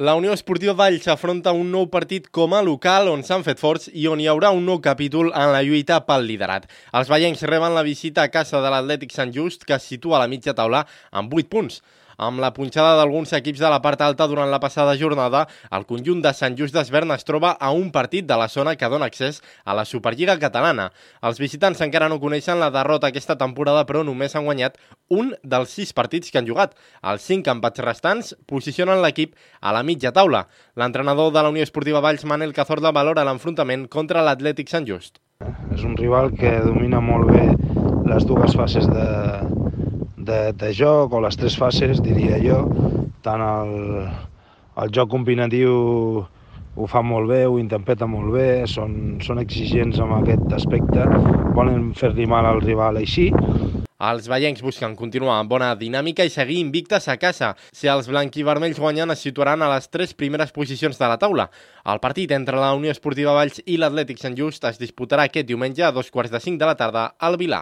La Unió Esportiva Valls afronta un nou partit com a local on s'han fet forts i on hi haurà un nou capítol en la lluita pel liderat. Els vallencs reben la visita a casa de l'Atlètic Sant Just, que es situa a la mitja taula amb 8 punts. Amb la punxada d'alguns equips de la part alta durant la passada jornada, el conjunt de Sant Just d'Esvern es troba a un partit de la zona que dona accés a la Superliga catalana. Els visitants encara no coneixen la derrota aquesta temporada, però només han guanyat un dels 6 partits que han jugat. Els 5 empats restants posicionen l'equip a la mitja taula. L'entrenador de la Unió Esportiva Valls, Manel Cazorla, valora l'enfrontament contra l'Atlètic Sant Just. És un rival que domina molt bé les dues fases de joc, o les 3 fases, diria jo. Tant el joc combinatiu ho fa molt bé, ho interpreta molt bé, són exigents en aquest aspecte, volen fer-li mal al rival així. Els vallencs busquen continuar amb bona dinàmica i seguir invictes a casa. Si els blanquivermells guanyen, es situaran a les 3 primeres posicions de la taula. El partit entre la Unió Esportiva Valls i l'Atlètic Sant Just es disputarà aquest diumenge a 14:45 de la tarda al Vilar.